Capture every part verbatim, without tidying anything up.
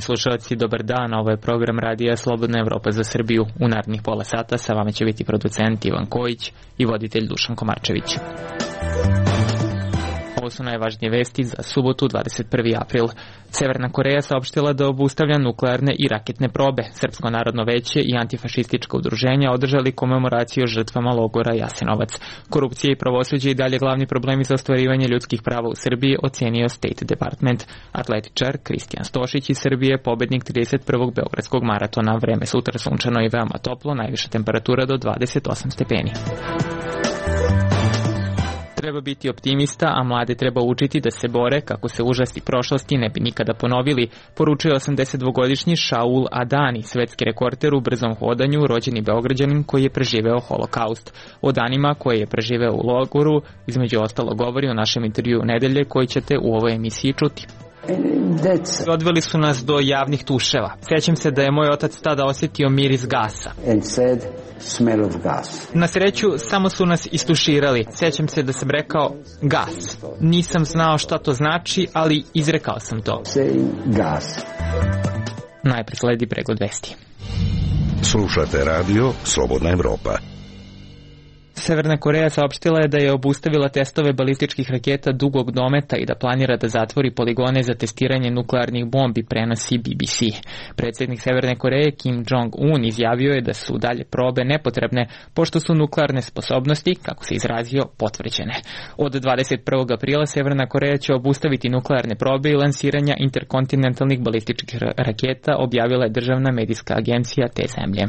slušalci, dobar dan, ovo je program Radija Slobodna Evropa za Srbiju. U narednih pola sata sa vama će biti producent Ivan Kojić i voditelj Dušan Komarčević. Ovo su najvažnije vesti za subotu, dvadeset prvi april. Severna Koreja saopštila da obustavlja nuklearne i raketne probe. Srpsko narodno veće i antifašistička udruženja održali komemoraciju žrtvama logora Jasenovac. Korupcija i pravosuđe i dalje glavni problemi za ostvarivanje ljudskih prava u Srbiji, ocenio State Department. Atletičar Kristijan Stošić iz Srbije, pobednik trideset prvog beogradskog maratona. Vreme sutra sunčano i veoma toplo, najviša temperatura do dvadeset osam stepeni. Treba biti optimista, a mlade treba učiti da se bore kako se užasti prošlosti ne bi nikada ponovili, poručuje osamdesetdvogodišnji Šaul Adani, svetski rekorder u brzom hodanju, rođeni Beograđanin koji je preživeo holokaust. O danima koje je preživeo u logoru, između ostalo govori o našem intervju nedelje koji ćete u ovoj emisiji čuti. Odveli su nas do javnih tuševa. Sjećam se da je moj otac tada osjetio miris gasa. Na sreću, samo su nas istuširali. Sjećam se da sam rekao gas. Nisam znao šta to znači, ali izrekao sam to. Najpre sledi pregled vesti. Slušate radio Slobodna Evropa. Severna Koreja saopštila je da je obustavila testove balističkih raketa dugog dometa i da planira da zatvori poligone za testiranje nuklearnih bombi, prenosi B B C. Predsjednik Severne Koreje Kim Jong-un izjavio je da su dalje probe nepotrebne, pošto su nuklearne sposobnosti, kako se izrazio, potvrđene. Od dvadeset prvog aprila Severna Koreja će obustaviti nuklearne probe i lansiranja interkontinentalnih balističkih raketa, objavila je državna medijska agencija te zemlje.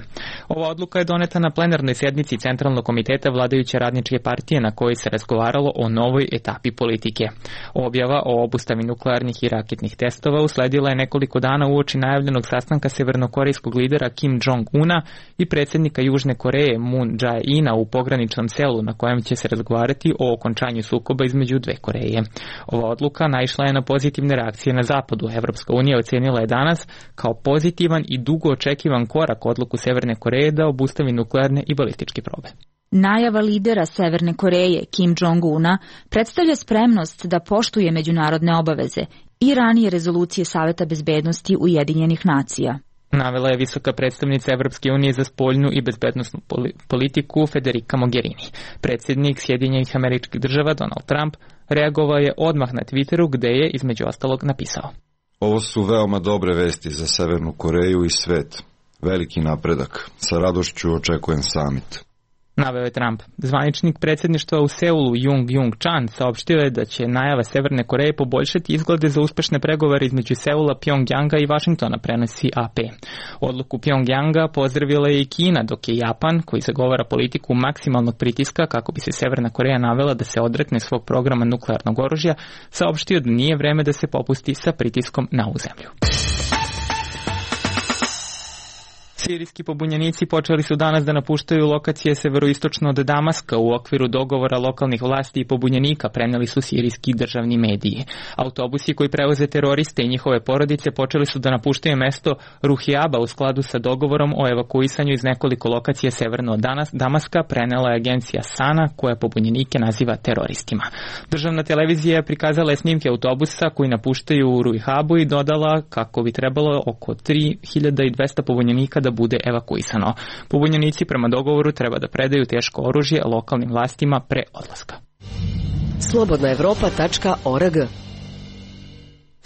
Ova odluka je doneta na plenarnoj sednici Centralnog komiteta vladajuće radničke partije na kojoj se razgovaralo o novoj etapi politike. Objava o obustavi nuklearnih i raketnih testova usledila je nekoliko dana uoči najavljenog sastanka severnokorejskog lidera Kim Jong-una i predsjednika Južne Koreje Moon Jae-ina u pograničnom selu na kojem će se razgovarati o okončanju sukoba između dve Koreje. Ova odluka naišla je na pozitivne reakcije na zapadu. Evropska unija ocenila je danas kao pozitivan i dugo očekivan korak odluku Severne Koreje da obustavi nuklearne i balističke probe. Najava lidera Severne Koreje Kim Jong-una predstavlja spremnost da poštuje međunarodne obaveze i ranije rezolucije Saveta bezbednosti Ujedinjenih nacija. Navela je visoka predstavnica Evropske unije za spoljnu i bezbednosnu politiku Federica Mogherini. Predsjednik Sjedinjenih Američkih Država Donald Trump reagovao je odmah na Twitteru gde je između ostalog napisao: Ovo su veoma dobre vesti za Severnu Koreju i svet. Veliki napredak. Sa radošću očekujem samit. Naveo je Trump. Zvaničnik predsjedništva u Seulu Jung Jung Chan saopštio je da će najava Severne Koreje poboljšati izglede za uspešne pregovore između Seula, Pjongjanga i Vašingtona, prenosi A P. Odluku Pjongjanga pozdravila je i Kina, dok je Japan, koji zagovara politiku maksimalnog pritiska kako bi se Severna Koreja navela da se odrekne svog programa nuklearnog oružja, saopštio da nije vreme da se popusti sa pritiskom na ovu zemlju. Sirijski pobunjenici počeli su danas da napuštaju lokacije severoistočno od Damaska u okviru dogovora lokalnih vlasti i pobunjenika, preneli su sirijski državni mediji. Autobusi koji prevoze teroriste i njihove porodice počeli su da napuštaju mesto Ruhijaba u skladu sa dogovorom o evakuisanju iz nekoliko lokacija severno od Damaska, prenela je agencija Sana koja pobunjenike naziva teroristima. Državna televizija je prikazala je snimke autobusa koji napuštaju Ruhijabu i dodala kako bi trebalo oko tri hiljade dvesta pobunjenika da bude evakuisano. Pobunjenici prema dogovoru treba da predaju teško oružje lokalnim vlastima pre odlaska. slobodna evropa tačka org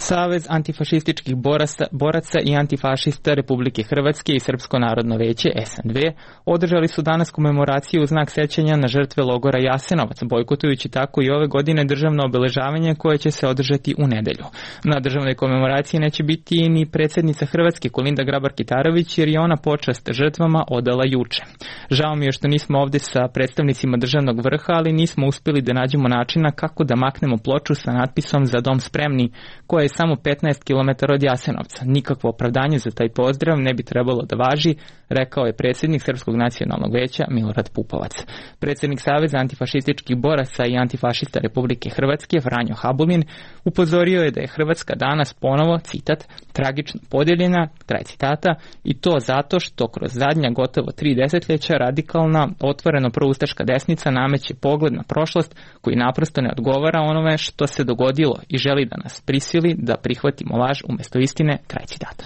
Savez antifašističkih boraca, boraca i antifašista Republike Hrvatske i Srpsko narodno veće S N V održali su danas komemoraciju u znak sećanja na žrtve logora Jasenovac, bojkotujući tako i ove godine državno obeležavanje koje će se održati u nedelju. Na državnoj komemoraciji neće biti ni predsjednica Hrvatske Kolinda Grabar-Kitarović jer je ona počast žrtvama odala juče. Žao mi je što nismo ovdje sa predstavnicima državnog vrha, ali nismo uspjeli da nađemo načina kako da maknemo ploču sa natpisom Za dom spremni, koja je samo petnaest kilometara od Jasenovca. Nikakvo opravdanje za taj pozdrav ne bi trebalo da važi, rekao je predsjednik Srpskog nacionalnog veća Milorad Pupovac. Predsjednik Saveza antifašističkih boraca i antifašista Republike Hrvatske Franjo Habulin upozorio je da je Hrvatska danas ponovo, citat, tragično podijeljena, kraj citata, i to zato što kroz zadnja gotovo tri desetljeća radikalna, otvoreno proustaška desnica nameće pogled na prošlost koji naprosto ne odgovara onome što se dogodilo i želi da nas prisili da prihvatimo laž umjesto istine, kraj citata.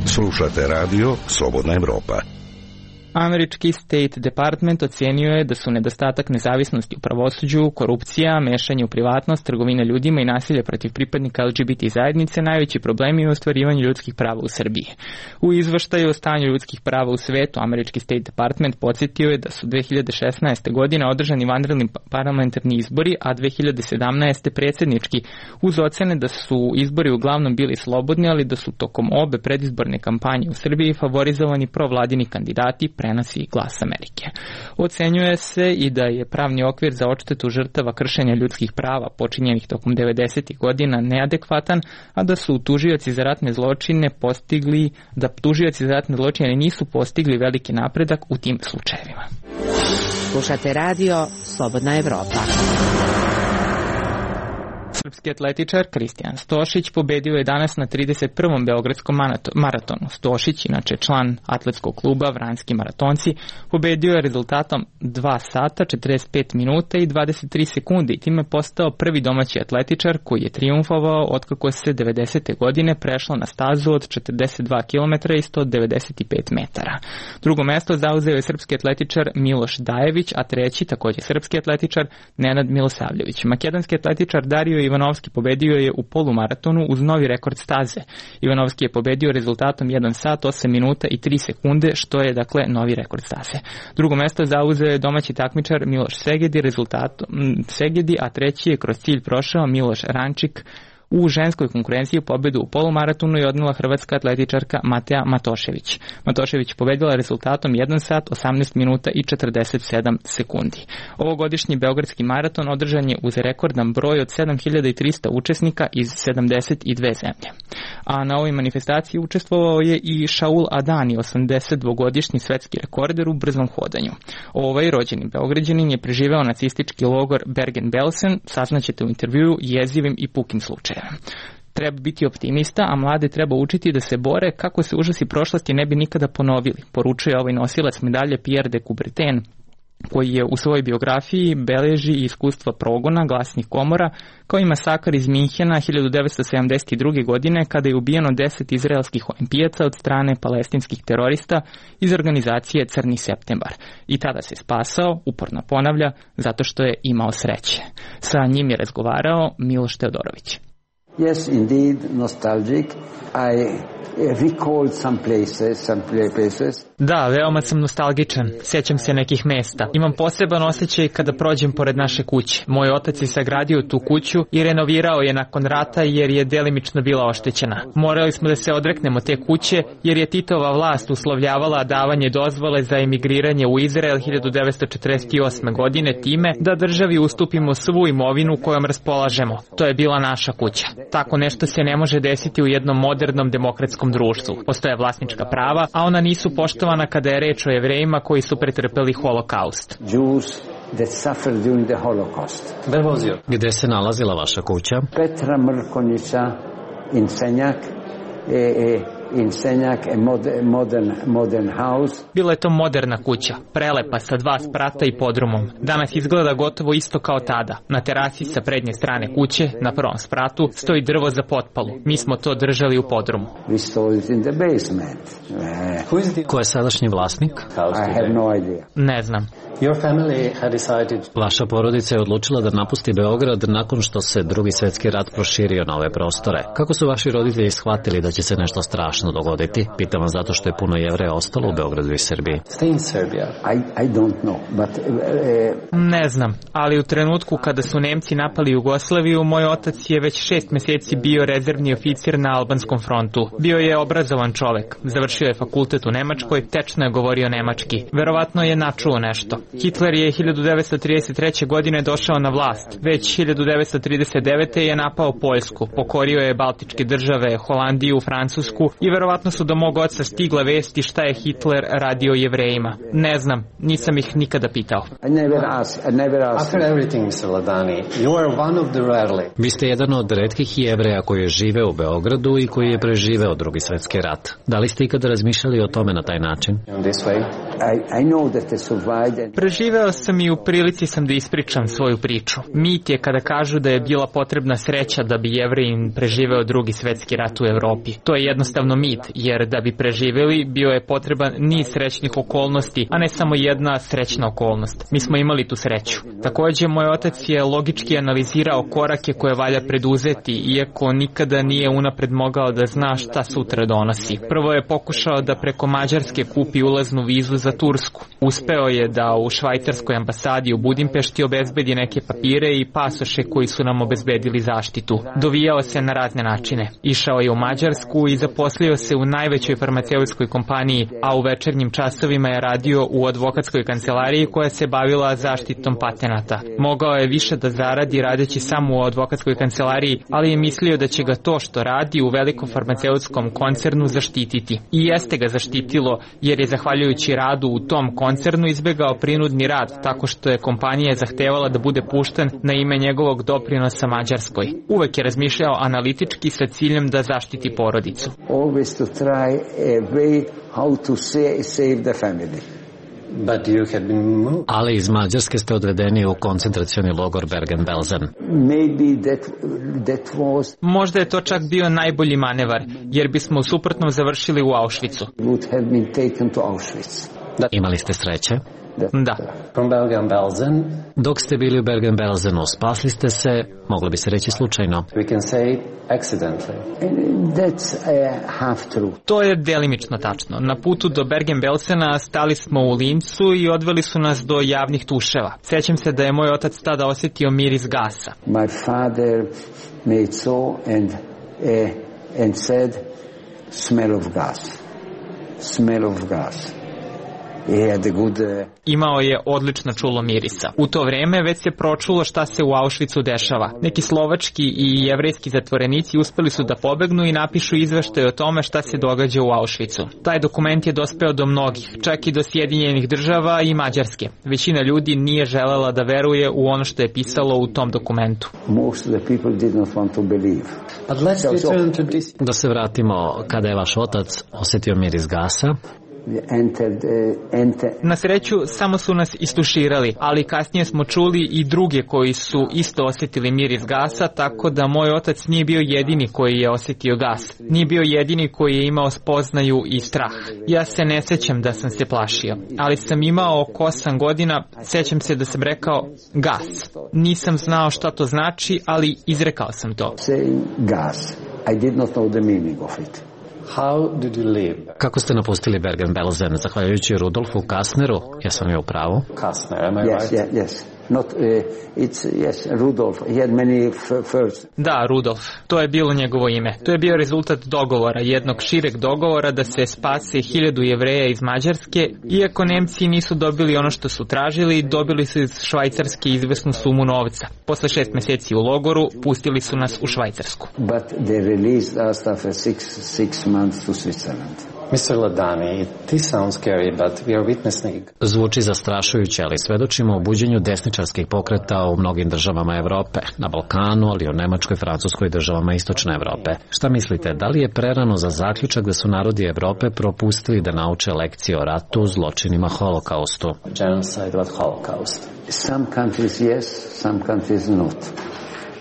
Slušate radio Slobodna Evropa. Američki State Department ocenio je da su nedostatak nezavisnosti u pravosuđu, korupcija, mešanje u privatnost, trgovina ljudima i nasilje protiv pripadnika L G B T zajednice najveći problemi u ostvarivanju ljudskih prava u Srbiji. U izveštaju o stanju ljudskih prava u svetu, Američki State Department podsjetio je da su dve hiljade šesnaeste. godine održani vanredni parlamentarni izbori, a dve hiljade sedamnaeste. predsjednički, uz ocene da su izbori uglavnom bili slobodni, ali da su tokom obe predizborne kampanje u Srbiji favorizovani provladini kandidati, prenosi Glas Amerike. Ocenjuje se i da je pravni okvir za odštetu žrtava kršenja ljudskih prava počinjenih tokom devedesetih. godina neadekvatan, a da su tužioci za ratne zločine postigli, da tužioci za ratne zločine nisu postigli veliki napredak u tim slučajevima. Slušate radio Slobodna Evropa. Srpski atletičar Kristijan Stošić pobedio je danas na trideset prvom beogradskom maratonu. Stošić, inače član atletskog kluba Vranjski maratonci, pobedio je rezultatom dva sata, četrdeset pet minuta i dvadeset tri sekunde i time postao prvi domaći atletičar koji je trijumfovao otkako se devedesete. godine prešlo na stazu od četrdeset dva kilometra i sto devedeset pet metara. Drugo mesto zauzeo je srpski atletičar Miloš Dajević, a treći, takođe srpski atletičar, Nenad Milosavljević. Makedonski atletičar Dario Ivanovski pobedio je u polumaratonu uz novi rekord staze. Ivanovski je pobedio rezultatom jedan sat, osam minuta i tri sekunde, što je dakle novi rekord staze. Drugo mesto zauzeo je domaći takmičar Miloš Segedi, rezultatom Segedi, a treći je kroz cilj prošao Miloš Rančik. U ženskoj konkurenciji pobedu u polumaratonu je odnela hrvatska atletičarka Mateja Matošević. Matošević pobedila rezultatom jedan sat, osamnaest minuta i četrdeset sedam sekundi. Ovogodišnji beogradski maraton održan je uz rekordan broj od sedam hiljada trista učesnika iz sedamdeset dve zemlje. A na ovoj manifestaciji učestvovao je i Šaul Adani, osamdesetdvogodišnji svetski rekorder u brzom hodanju. Ovaj rođeni Beograđanin je preživeo nacistički logor Bergen-Belsen, saznaćete u intervjuu jezivim i pukim slučajem. Treba biti optimista, a mlade treba učiti da se bore kako se užasi prošlosti ne bi nikada ponovili, poručuje ovaj nosilac medalje Pierre de Coubertin, koji je u svojoj biografiji beleži iskustva progona glasnih komora, kao i masakar iz Minhena hiljadu devetsto sedamdeset druge. godine kada je ubijeno deset izraelskih olimpijaca od strane palestinskih terorista iz organizacije Crni septembar. I tada se spasao, uporno ponavlja, zato što je imao sreće. Sa njim je razgovarao Miloš Teodorović. Yes, indeed, nostalgic. I recalled some places, some places. Da, veoma sam nostalgičan. Sjećam se nekih mesta. Imam poseban osjećaj kada prođem pored naše kuće. Moj otac je sagradio tu kuću i renovirao je nakon rata jer je delimično bila oštećena. Morali smo da se odreknemo te kuće jer je Titova vlast uslovljavala davanje dozvole za emigriranje u Izrael hiljadu devetsto četrdeset osme. godine time da državi ustupimo svu imovinu kojom raspolažemo. To je bila naša kuća. Tako nešto se ne može desiti u jednom modernom demokratskom društvu. Postoje vlasnička prava, a ona nisu poštovana kada je reč o Jevrejima koji su pretrpeli holokaust. Gde se nalazila vaša kuća? Petra Mrkonjića, Insenjak, e, e, Insenjak, a modern, modern house. Bila je to moderna kuća, prelepa sa dva sprata i podrumom. Danas izgleda gotovo isto kao tada. Na terasi sa prednje strane kuće, na prvom spratu, stoji drvo za potpalu. Mi smo to držali u podrumu. We stole it in the basement. Uh, Ko je sadašnji vlasnik? I have no idea. Ne znam. Your family had decided... Vaša porodica je odlučila da napusti Beograd nakon što se drugi svetski rat proširio na ove prostore. Kako su vaši roditelji shvatili da će se nešto strašno dogoditi? Pitam vas zato što je puno Jevreja ostalo u Beogradu i Srbiji. Stay in Serbia. I, I don't know, but, uh, ne znam, ali u trenutku kada su Nemci napali Jugoslaviju, moj otac je već šest meseci bio rezervni oficir na albanskom frontu. Bio je obrazovan čovek. Završio je fakultet u Nemačkoj, tečno je govorio nemački. Verovatno je načuo nešto. Hitler je hiljadu devetsto trideset treće. godine došao na vlast. Već hiljadu devetsto trideset devete. je napao Poljsku, pokorio je Baltičke države, Holandiju, Francusku i verovatno su do mog oca stigle vesti šta je Hitler radio Jevrejima. Ne znam, nisam ih nikada pitao. I never asked, I never asked. After everything, mister Ladani, you are one of the rarely. Vi ste jedan od retkih Jevreja koji je živeo u Beogradu i koji je preživeo drugi svetski rat. Da li ste ikada razmišljali o tome na taj način? In this way. I, I know that I survived and... Preživeo sam i u prilici sam da ispričam svoju priču. Mit je kada kažu da je bila potrebna sreća da bi Jevrejin preživeo drugi svetski rat u Evropi. To je jednostavno mit, jer da bi preživeli bio je potreban niz srećnih okolnosti, a ne samo jedna srećna okolnost. Mi smo imali tu sreću. Takođe, moj otac je logički analizirao korake koje valja preduzeti, iako nikada nije unapred mogao da zna šta sutra donosi. Prvo je pokušao da preko Mađarske kupi ulaznu vizu za Tursku. Uspeo je da u švajcarskoj ambasadi u Budimpešti obezbedi neke papire i pasoše koji su nam obezbedili zaštitu. Dovijao se na razne načine. Išao je u Mađarsku i zaposlio se u najvećoj farmaceutskoj kompaniji, a u večernjim časovima je radio u advokatskoj kancelariji koja se bavila zaštitom patenata. Mogao je više da zaradi radeći samo u advokatskoj kancelariji, ali je mislio da će ga to što radi u velikom farmaceutskom koncernu zaštititi. I jeste ga zaštitilo, jer je zahvaljujući radu u tom koncernu izbegao prinudni rad, tako što je kompanija zahtevala da bude pušten na ime njegovog doprinosa Mađarskoj. Uvek je razmišljao analitički sa ciljem da zaštiti porodicu. Always to try a way how to save the family. But you had been moved. Ali iz Mađarske ste odvedeni u koncentracioni logor Bergen-Belsen. Maybe that, that was... Možda je to čak bio najbolji manevar, jer bismo u suprotnom završili u Auschwitzu. Would have been taken to Auschwitz. Imali ste sreće? Da. From Bergen-Belsen. Dok ste bili u Bergen-Belsenu, spasli ste se, moglo bi se reći slučajno. We can say accidentally. That's uh, half true. To je delimično tačno. Na putu do Bergen-Belsena stali smo u Lincu i odveli su nas do javnih tuševa. Sećam se da je moj otac tada osjetio miris gasa. My father made so and, uh, and said, smell of gas. Smell of gas. Good, uh... Imao je odlično čulo mirisa. U to vreme već se pročulo šta se u Auschwitzu dešava. Neki slovački i jevrejski zatvorenici uspeli su da pobegnu i napišu izveštaj o tome šta se događa u Auschwitzu. Taj dokument je dospeo do mnogih, čak i do Sjedinjenih država i Mađarske. Većina ljudi nije želela da veruje u ono što je pisalo u tom dokumentu. Most of the people did not want to believe. But let's return to this. Da se vratimo, kada je vaš otac osjetio miris gasa. Entered, uh, enter... Na sreću, samo su nas istuširali, ali kasnije smo čuli i druge koji su isto osjetili miris gasa, tako da moj otac nije bio jedini koji je osjetio gas. Nije bio jedini koji je imao spoznaju i strah. Ja se ne sećam da sam se plašio, ali sam imao oko osam godina, sećam se da sam rekao gas. Nisam znao šta to znači, ali izrekao sam to. Saying gas. I did not know the meaning of it. How did you live? Kako ste napustili Bergen-Belsen? Zahvaljujući Rudolfu Kastneru? Jesam li u pravu? Kastner, am I yes, right? Yes, yes. Not, uh, it's, yes, Rudolf. He had many first. Da, Rudolf. To je bilo njegovo ime. To je bio rezultat dogovora, jednog šireg dogovora da se spase hiljadu Jevreja iz Mađarske, iako Nemci nisu dobili ono što su tražili, dobili su iz Švajcarske izvesnu sumu novca. Posle šest meseci u logoru, pustili su nas u Švajcarsku. But they released us after six, six months to Switzerland. mister Ladani, this sounds scary, but we are witnessing... Zvuči zastrašujuće, ali svedočimo o buđenju desničarskih pokreta u mnogim državama Evrope, na Balkanu, ali i u Nemačkoj, Francuskoj i državama Istočne Evrope. Šta mislite, da li je prerano za zaključak da su narodi Evrope propustili da nauče lekcije o ratu, zločinima, holokaustu? Genocide, what Holocaust? Some countries yes, some countries not.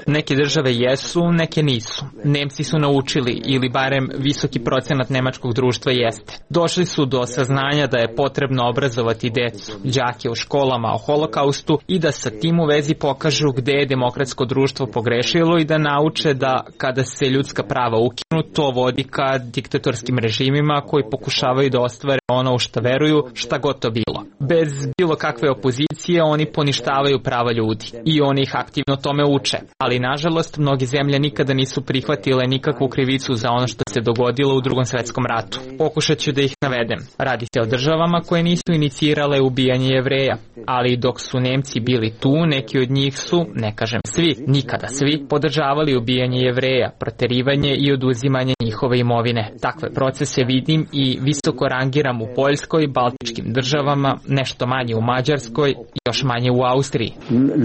Neke države jesu, neke nisu. Nemci su naučili, ili barem visoki procenat nemačkog društva jeste. Došli su do saznanja da je potrebno obrazovati decu, đake u školama o holokaustu i da sa tim u vezi pokažu gde je demokratsko društvo pogrešilo i da nauče da kada se ljudska prava ukinu, to vodi ka diktatorskim režimima koji pokušavaju da ostvare ono u šta veruju, šta god to bilo. Bez bilo kakve opozicije oni poništavaju prava ljudi i oni ih aktivno tome uče. Ali nažalost, mnogi zemlje nikada nisu prihvatile nikakvu krivicu za ono što se dogodilo u Drugom svetskom ratu. Pokušat ću da ih navedem. Radi se o državama koje nisu inicirale ubijanje Jevreja, ali dok su Nemci bili tu, neki od njih su, ne kažem svi, nikada svi, podržavali ubijanje Jevreja, proterivanje i oduzimanje njihove imovine. Takve procese vidim i visoko rangiram u Poljskoj, Baltičkim državama, nešto manje u Mađarskoj i još manje u Austriji.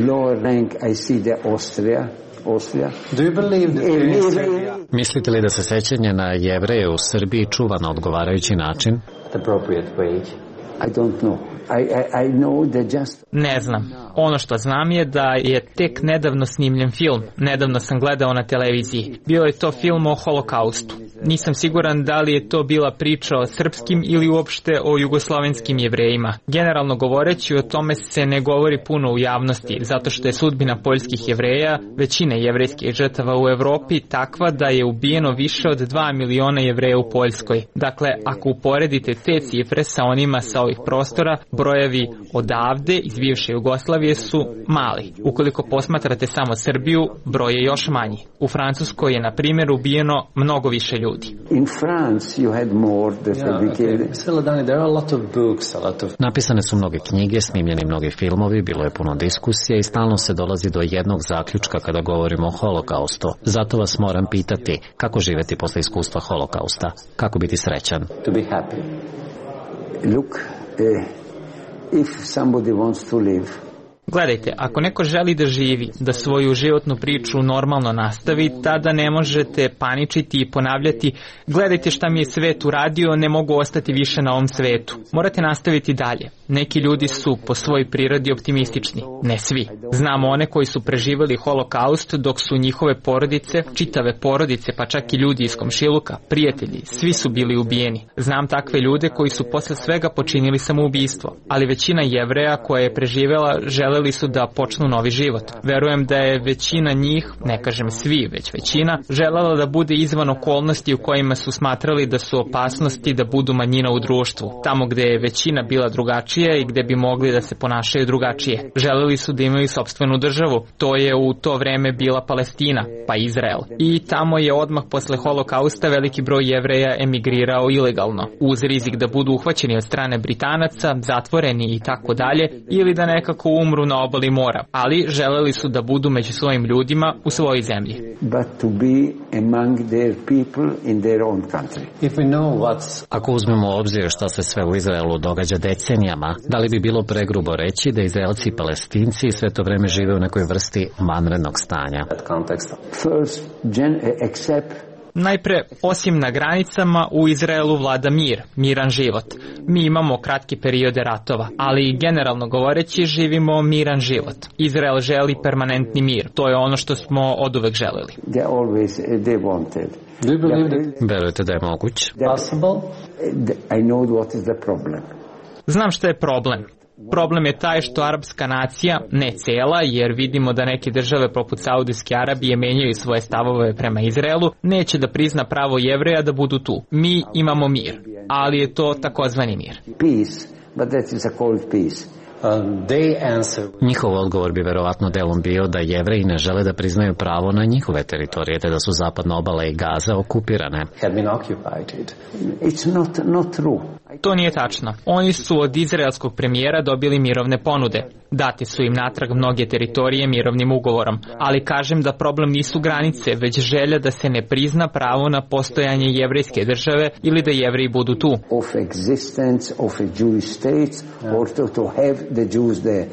Lower rank I see the Austria. Austria. Do you believe that Mislite li da se sećanje na Jevreje u Srbiji čuva na odgovarajući način? the appropriate way? I don't know. I, I, I know that just... Ne znam. Ono što znam je da je tek nedavno snimljen film. Nedavno sam gledao na televiziji. Bio je to film o holokaustu. Nisam siguran da li je to bila priča o srpskim ili uopšte o jugoslovenskim Jevrejima. Generalno govoreći, o tome se ne govori puno u javnosti, zato što je sudbina poljskih Jevreja, većine jevrejskih žrtava u Evropi, takva da je ubijeno više od dva miliona Jevreja u Poljskoj. Dakle, ako uporedite te cifre sa onima sa ovih prostora, brojevi odavde iz bivše Jugoslavije su mali. Ukoliko posmatrate samo Srbiju, broj je još manji. U Francuskoj je, na primjer, ubijeno mnogo više ljudi. In France you had more that yeah, okay. There are a lot of books, a lot of... Napisane su mnoge knjige, snimljeni mnogi filmovi, bilo je puno diskusije i stalno se dolazi do jednog zaključka kada govorimo o holokaustu. Zato vas moram pitati, kako živeti posle iskustva holokausta? Kako biti srećan? To be happy. Look, uh, if somebody wants to live, gledajte, ako neko želi da živi, da svoju životnu priču normalno nastavi, tada ne možete paničiti i ponavljati gledajte šta mi je svet uradio, ne mogu ostati više na ovom svetu. Morate nastaviti dalje. Neki ljudi su po svojoj prirodi optimistični, ne svi. Znamo one koji su preživjeli holokaust dok su njihove porodice, čitave porodice, pa čak i ljudi iz komšiluka, prijatelji, svi su bili ubijeni. Znam takve ljude koji su posle svega počinili samoubistvo, ali većina Jevreja koja je preživjela želeli su da počnu novi život. Verujem da je većina njih, ne kažem svi, već većina, želela da bude izvan okolnosti u kojima su smatrali da su opasnosti da budu manjina u društvu. Tamo gde je većina bila drugačija i gde bi mogli da se ponašaju drugačije. Želeli su da imaju sopstvenu državu. To je u to vreme bila Palestina, pa Izrael. I tamo je odmah posle holokausta veliki broj Jevreja emigrirao ilegalno, uz rizik da budu uhvaćeni od strane Britanaca, zatvoreni i tako dalje, ili da nekako umru na obali mora, ali želeli su da budu među svojim ljudima u svojoj zemlji. But to be among their people in their own country. If we know what's... Ako uzmemo u obzir šta se sve u Izraelu događa decenijama, da li bi bilo pregrubo reći da Izraelci i Palestinci sve to vreme žive u nekoj vrsti vanrednog stanja? First, gen, except Najpre, osim na granicama, u Izraelu vlada mir, miran život. Mi imamo kratke periode ratova, ali generalno govoreći živimo miran život. Izrael želi permanentni mir, to je ono što smo oduvek želeli. Always, they wanted. Do you believe that? Verujete da je moguć? Possible? I know what is the problem. Znam šta je problem. Problem je taj što arapska nacija, ne cela, jer vidimo da neke države poput Saudijske Arabije menjaju svoje stavove prema Izraelu, neće da prizna pravo Jevreja da budu tu. Mi imamo mir, ali je to takozvani mir. Peace, but that is a cold peace. Njihov odgovor bi verovatno delom bio da Jevreji ne žele da priznaju pravo na njihove teritorije, te da su zapadna obala i Gaza okupirane. It's not, not true. To nije tačno. Oni su od izraelskog premijera dobili mirovne ponude. Date su im natrag mnoge teritorije mirovnim ugovorom, ali kažem da problem nisu granice, već želja da se ne prizna pravo na postojanje jevrejske države ili da Jevreji budu tu. Of existence of a Jewish state or to, to have the Jews there.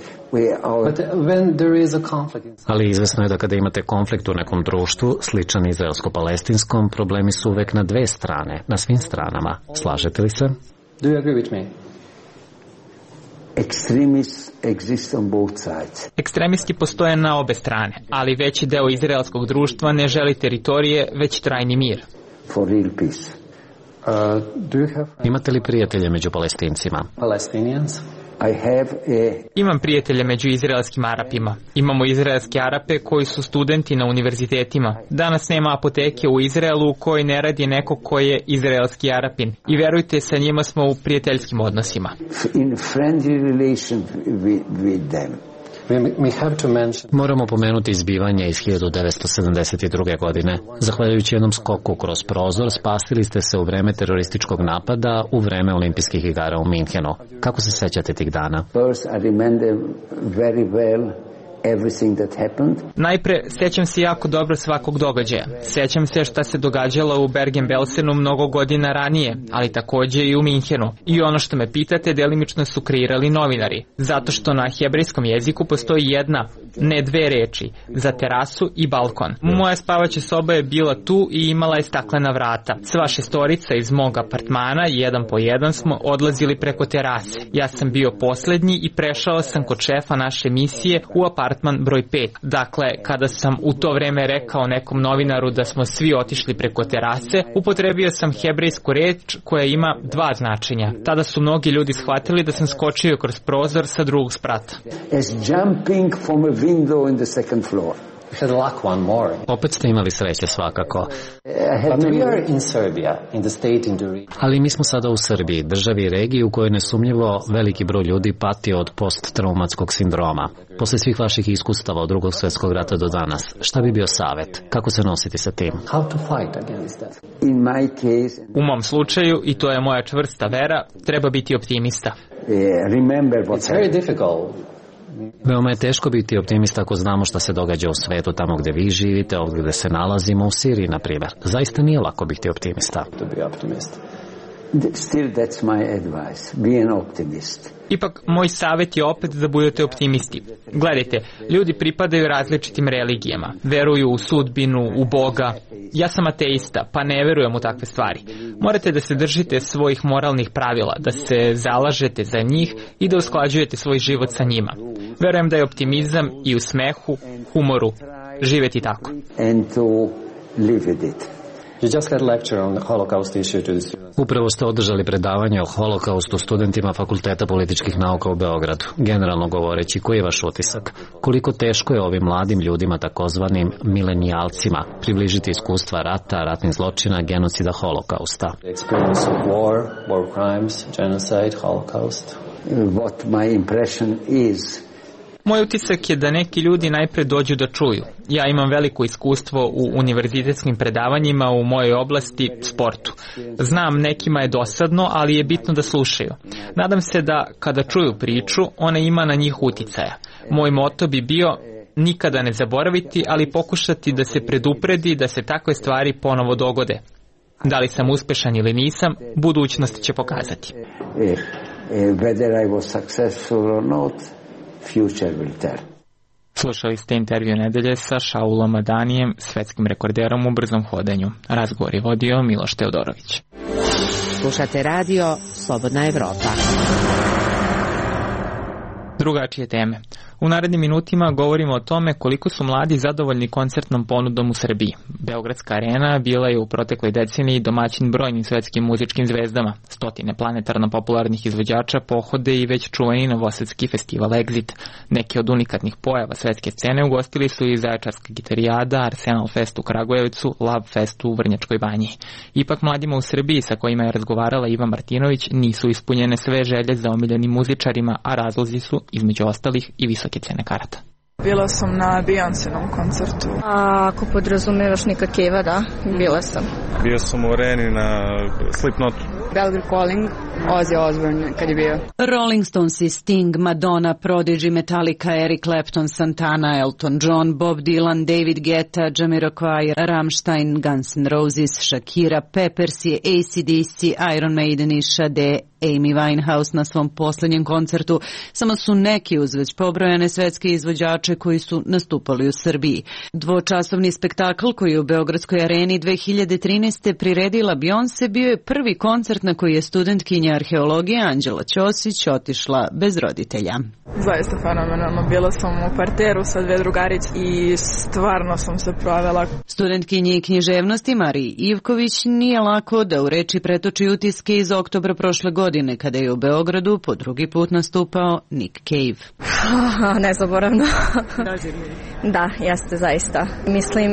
Ali izvesno je da kada imate konflikt u nekom društvu, sličan izraelsko-palestinskom, problemi su uvek na dve strane, na svim stranama. Slažete li se? Do you agree with me? Extremists exist on both sides. Ekstremisti postoje na obe strane, ali veći deo izraelskog društva ne želi teritorije, već trajni mir. For real peace. Uh, do you have... Imate li prijatelje među Palestincima? Palestinians? I have a... Imam prijatelje među izraelskim Arapima. Imamo izraelske Arape koji su studenti na univerzitetima. Danas nema apoteke u Izraelu u kojoj ne radi neko koji je izraelski Arapin. I verujte, sa njima smo u prijateljskim odnosima. In friendly relation with, with them. Moramo pomenuti izbivanje iz hiljadu devetsto sedamdeset druge. godine. Zahvaljujući jednom skoku kroz prozor, spasili ste se u vreme terorističkog napada u vreme olimpijskih igara u Minhenu. Kako se sećate tih dana? First, I remember very well everything that happened. Najpre, sjećam se jako dobro svakog događaja. Sjećam se šta se događalo u Bergen-Belsenu mnogo godina ranije, ali takođe i u Minhenu. I ono što me pitate, delimično su kreirali novinari. Zato što na hebrejskom jeziku postoji jedna, ne dve reči, za terasu i balkon. Moja spavaća soba je bila tu i imala je staklena vrata. Sva šestorica iz mog apartmana, jedan po jedan, smo odlazili preko terase. Ja sam bio poslednji i prešao sam kod šefa naše misije u apartman broj pet. Dakle, kada sam u to vreme rekao nekom novinaru da smo svi otišli preko terase, upotrebio sam hebrejsku reč koja ima dva značenja. Tada su mnogi ljudi shvatili da sam skočio kroz prozor sa drugog sprata. As jumping from a window in the second floor. Opet ste imali sreće svakako. Ali mi smo sada u Srbiji, državi i regiji u kojoj nesumnjivo veliki broj ljudi pati od posttraumatskog sindroma. Posle svih vaših iskustava od drugog svjetskog rata do danas, šta bi bio savjet? Kako se nositi sa tim? U mom slučaju, i to je moja čvrsta vera, treba biti optimista. Veoma je teško biti optimista ako znamo šta se događa u svetu tamo gde vi živite, ovdje gde se nalazimo, u Siriji, na primjer. Zaista nije lako biti optimista. Still that's my advice. Be an optimist. Ipak, moj savjet je opet da budete optimisti. Gledajte, ljudi pripadaju različitim religijama. Veruju u sudbinu, u Boga. Ja sam ateista, pa ne verujem u takve stvari. Morate da se držite svojih moralnih pravila, da se zalažete za njih i da usklađujete svoj život sa njima. Verujem da je optimizam i u smehu, humoru, živeti tako. And to live with it. Upravo ste održali predavanje o holokaustu studentima Fakulteta političkih nauka u Beogradu. Generalno govoreći, koji je vaš utisak? Koliko teško je ovim mladim ljudima, takozvanim milenijalcima, približiti iskustva rata, ratnih zločina, genocida, holokausta? What my impression is. Moj utisak je da neki ljudi najpre dođu da čuju. Ja imam veliko iskustvo u univerzitetskim predavanjima u mojoj oblasti, sportu. Znam, nekima je dosadno, ali je bitno da slušaju. Nadam se da kada čuju priču, ona ima na njih uticaja. Moj moto bi bio nikada ne zaboraviti, ali pokušati da se predupredi da se takve stvari ponovo dogode. Da li sam uspešan ili nisam, budućnost će pokazati. Whether I was successful or not, future will tell. Slušali ste intervju nedelje sa Šaulom Madanijem, svetskim rekorderom u brzom hodanju. Razgovor je vodio Miloš Teodorović. Slušate radio Slobodna Evropa. Drugačije teme. U narednim minutima govorimo o tome koliko su mladi zadovoljni koncertnom ponudom u Srbiji. Beogradska arena bila je u protekloj deceniji domaćin brojnim svetskim muzičkim zvezdama. Stotine planetarno popularnih izvođača pohode i već čuveni novosadski festival Exit. Neke od unikatnih pojava svetske scene ugostili su i Zaječarska gitarijada, Arsenal Fest u Kragujevcu, Love Fest u Vrnjačkoj banji. Ipak mladima u Srbiji sa kojima je razgovarala Iva Martinović nisu ispunjene sve želje za omiljenim muzičarima, a razlozi su, između ostalih, i visoke cene karata. Bila sam na Beyoncénom koncertu. A ako podrazumevaš Nika Cave-a, da, bila sam. Bio sam u areni na Slipknotu. Belgrade Calling, Ozzy Osbourne kad je bio. Rolling Stones, Sting, Madonna, Prodigy, Metallica, Eric Clapton, Santana, Elton John, Bob Dylan, David Guetta, Jamiroquai, Rammstein, Guns N' Roses, Shakira, Peppers, A C D C, Iron Maiden i Sade, Amy Winehouse na svom posljednjem koncertu. Samo su neki uz već pobrojane svetske izvođače koji su nastupali u Srbiji. Dvočasovni spektakl koji je u Beogradskoj areni dve hiljade trinaeste priredila Beyoncé bio je prvi koncert na koji je studentkinja arheologije Anđela Ćosić otišla bez roditelja. Zaista fenomenalno. Bila sam u parteru sa dve drugarice i stvarno sam se provela. Studentkinji književnosti Mariji Ivković nije lako da u reči pretoči utiske iz oktobra prošle godine kada je u Beogradu po drugi put nastupao Nick Cave. Nezaboravno. Da, jeste zaista. Mislim,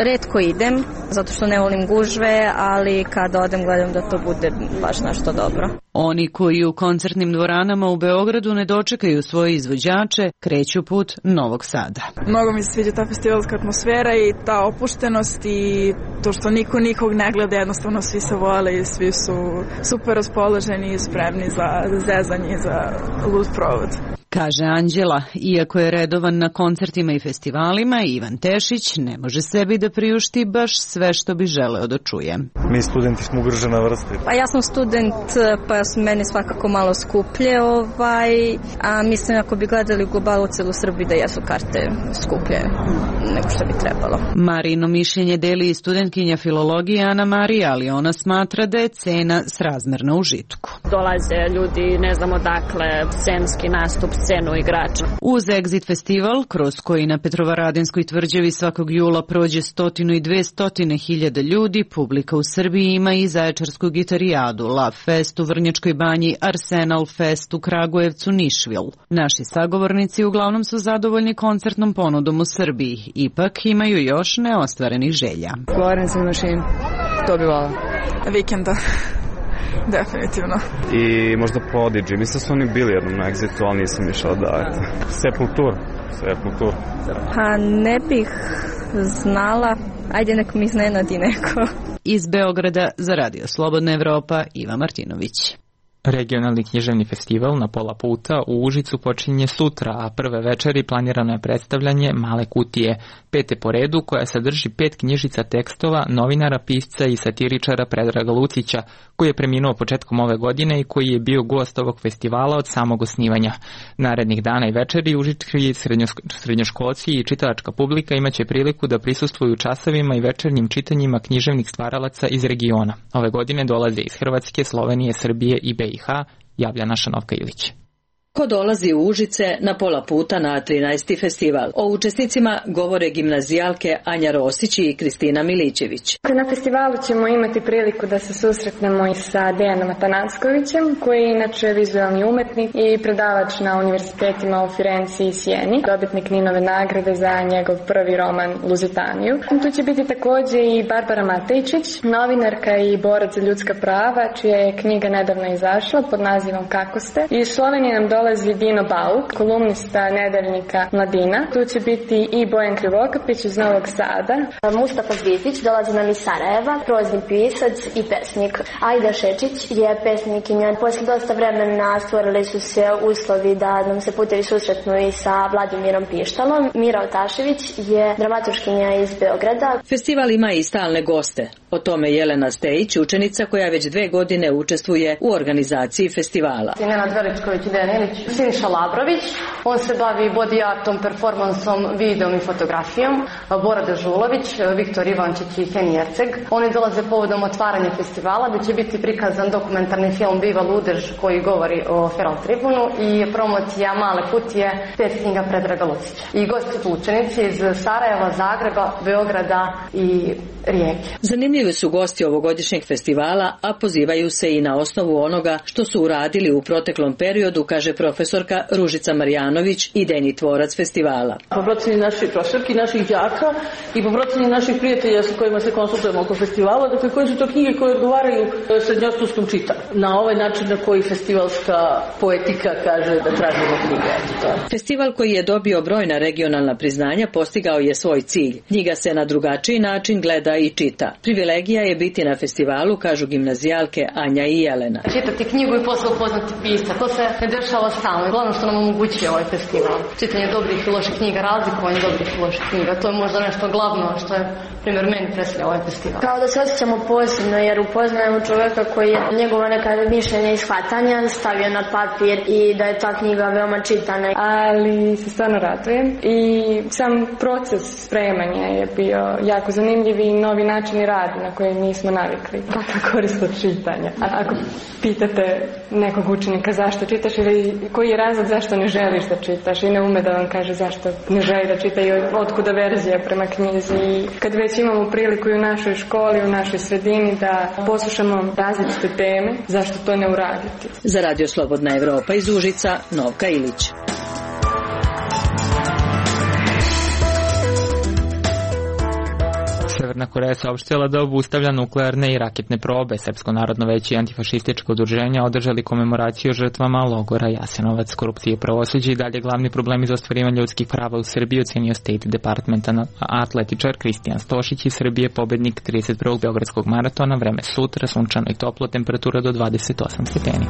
retko idem, zato što ne volim gužve, ali kada odem gledam da to bude baš nešto dobro. Oni koji u koncertnim dvoranama u Beogradu ne dočekaju svoje izvođače, kreću put Novog Sada. Mnogo mi se sviđa ta festivalska atmosfera i ta opuštenost i to što niko nikog ne gleda, jednostavno svi se vole i svi su super raspoloženi i spremni za zezanje i za lud provod. Kaže Anđela, iako je redovan na koncertima i festivalima, Ivan Tešić ne može sebi da priušti baš sve što bi želeo da čuje. Mi studenti smo ugrožena vrsta. Pa ja sam student, pa su meni svakako malo skuplje, ovaj, a mislim ako bi gledali u globalu celu Srbiju da jesu karte skuplje nego što bi trebalo. Marino mišljenje deli i studentkinja filologije Ana Marija, ali ona smatra da je cena srazmerna užitku. Dolaze ljudi, ne znam odakle, scenski nastup, scenu igrača. Uz Exit festival, kroz koji na Petrovaradinskoj tvrđavi svakog jula prođe stotinu i dve stotine hiljada ljudi, publika u Srbiji ima i Zaječarsku gitarijadu, Love Fest u Vrnjačkoj banji, Arsenal Fest u Kragujevcu, Nišvil. Naši sagovornici uglavnom su zadovoljni koncertnom ponudom u Srbiji, ipak imaju još neostvarenih želja. Florence and Machine, to bi volao. Vikenda. Definitivno. I možda Prodigy. Mislim da su oni bili jednom na Exitu, ali nisam išao da... Sepultura. Sepultura. Pa ne bih znala. Ajde nek mi iznenadi neko. Iz Beograda za Radio Slobodna Evropa, Iva Martinović. Regionalni književni festival na pola puta u Užicu počinje sutra, a prve večeri planirano je predstavljanje Male kutije, pete po redu, koja sadrži pet knjižica tekstova novinara, pisca i satiričara Predraga Lucića, koji je preminuo početkom ove godine i koji je bio gost ovog festivala od samog osnivanja. Narednih dana i večeri užički srednjoškolci i čitalačka publika imaće priliku da prisustvuju časovima i večernjim čitanjima književnih stvaralaca iz regiona. Ove godine dolaze iz Hrvatske, Slovenije, Srbije i B i H, javlja naša Novka Ilić. Ko dolazi u Užice na pola puta na trinaesti festival? O učesnicima govore gimnazijalke Anja Rosić i Kristina Milićević. Na festivalu ćemo imati priliku da se susretnemo i sa Dejanom Atanackovićem, koji je inače vizualni umetnik i predavač na univerzitetima u Firenci i Sijeni, dobitnik Ninove nagrade za njegov prvi roman Luzitaniju. Tu će biti također i Barbara Matejčić, novinarka i borac za ljudska prava, čija je knjiga nedavno izašla pod nazivom Kako ste. Iz Slovenije nam dolazi Dino Bauk, kolumnista nedeljnika Mladina. Tu će biti i Bojan Krivokapić iz Novog Sada. Mustafa Zvizdić dolazi nam iz Sarajeva, prozni pisac i pesnik. Ajda Šečić je pesnikinja. Posle dosta vremena stvorili su se uslovi da nam se putevi susretnu i sa Vladimirom Pištalom. Mira Otašević je dramaturškinja iz Beograda. Festival ima i stalne goste. O tome Jelena Stejić, učenica koja već dve godine učestvuje u organizaciji festivala. Nenad Veličković i Dejan Ilić, Siniša Labrović, on se bavi body artom, performansom, videom i fotografijom, Bora Dežulović, Viktor Ivančić i Heni Erceg. Oni dolaze povodom otvaranja festivala, da će biti prikazan dokumentarni film Viva Ludež koji govori o Feral Tribunu i promocija Male kutije, pet knjiga Predraga Lucića. I gosti su učenici iz Sarajeva, Zagreba, Beograda i Rijeke. Zanimljivi su gosti ovogodišnjeg festivala, a pozivaju se i na osnovu onoga što su uradili u proteklom periodu, kaže profesorka Ružica Marjanović, idejni tvorac festivala. Po proceni naših profesorki, naših đaka i po proceni naših prijatelja sa kojima se konsultujemo oko festivala, dakle koje su to knjige koje odgovaraju srednjoškolskom čitanju. Na ovaj način na koji festivalska poetika kaže da tražimo knjige. Festival koji je dobio brojna regionalna priznanja postigao je svoj cilj. Knjiga se na drugačiji način gleda i čita. Privilegija je biti na festivalu, kažu gimnazijalke Anja i Jelena. Čitati knjigu i posle upoznati pisca, to se ne dešava stalno. Glavno što nam omogućuje ovaj festival. Čitanje dobrih i loših knjiga, razlikovanje dobrih i loših knjiga. To je možda nešto glavno što je, primjer, meni predstavlja ovaj festival. Kao da se osjećamo posebno jer upoznajemo čovjeka koji je njegova neka mišljenja i shvatanja stavio na papir i da je ta knjiga veoma čitana. Ali se stvarno radujem i sam proces spremanja je bio jako zanimljiv i novi načini rada na koje nismo navikli. Kakva korist od čitanja. A ako pitate nekog učenika zašto čitaš ili koji je razlog zašto ne želiš da čitaš i ne ume da vam kaže zašto ne želi da čita i otkuda verzija prema knjizi. I kad već imamo priliku i u našoj školi, u našoj sredini da poslušamo različite teme, zašto to ne uraditi? Za Radio Slobodna Evropa iz Užica, Novka Ilić. Severna Koreja saopštila da obustavlja nuklearne i raketne probe. Srpsko narodno veće i antifašističko udruženja održali komemoraciju žrtvama logora Jasenovac. Korupcije i pravosuđe i dalje glavni problemi za ostvarivanje ljudskih prava u Srbiji, ocenio State Departmenta atletičar Kristijan Stošić iz Srbije, pobednik trideset prvog beogradskog maratona. Vreme sutra, sunčano i toplo, temperatura do dvadeset osam stepeni.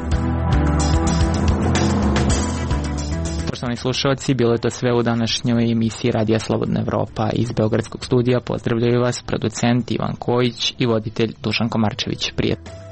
Poštovani slušalci, bilo je to sve u današnjoj emisiji Radija Slobodna Evropa. Iz Beogradskog studija pozdravljaju vas producent Ivan Kojić i voditelj Dušan Komarčević. Prijatno.